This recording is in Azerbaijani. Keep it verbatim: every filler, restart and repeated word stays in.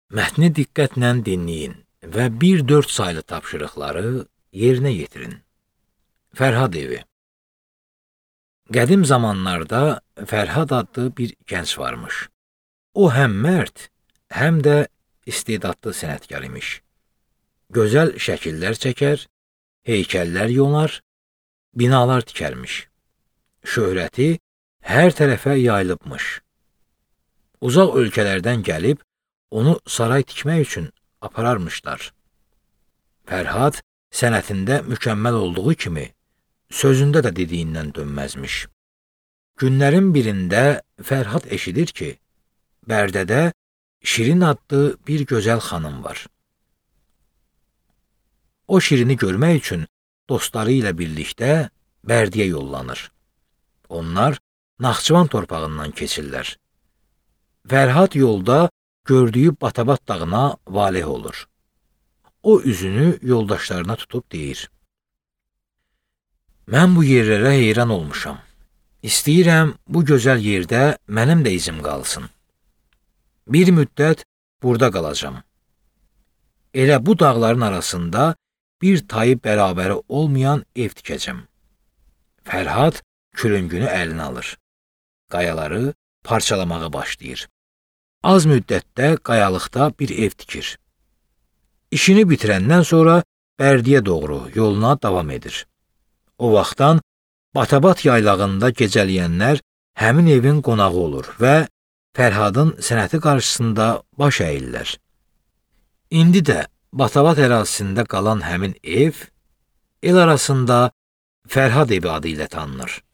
Mətni diqqətlə dinləyin və bir dörd saylı tapşırıqları yerinə yetirin. Fərhad evi. Qədim zamanlarda Fərhad adlı bir gənc varmış. O həm mərd, həm də istedadlı sənətkar imiş. Gözəl şəkillər çəkər, heykəllər yonar, binalar tikərmiş. Şöhrəti hər tərəfə yayılıbmış. Uzaq ölkələrdən gəlib, onu saray tikmək üçün apararmışlar. Fərhad sənətində mükəmməl olduğu kimi, sözündə də dediyindən dönməzmiş. Günlərin birində Fərhad eşidir ki, Bərdədə Şirin adlı bir gözəl xanım var. O Şirini görmək üçün dostları ilə birlikdə Bərdiyə yollanır. Onlar Naxçıvan torpağından keçirlər. Fərhad yolda gördüyü Batabat dağına valeh olur. O üzünü yoldaşlarına tutub deyir: Mən bu yerlərə heyran olmuşam. İstəyirəm bu gözəl yerdə mənim də izim qalsın. Bir müddət burada qalacam. Elə bu dağların arasında bir tayı bərabəri olmayan ev tikəcəm. Fərhad külüngünü əlinə alır. Qayaları parçalamağa başlayır. Az müddətdə qayalıqda bir ev tikir. İşini bitirəndən sonra Bərdiyə doğru yoluna davam edir. O vaxtdan Batabat yaylağında gecələyənlər həmin evin qonağı olur və Fərhadın sənəti qarşısında baş əyirlər. İndi də Batabat ərazisində qalan həmin ev, el arasında Fərhad evi adı ilə tanınır.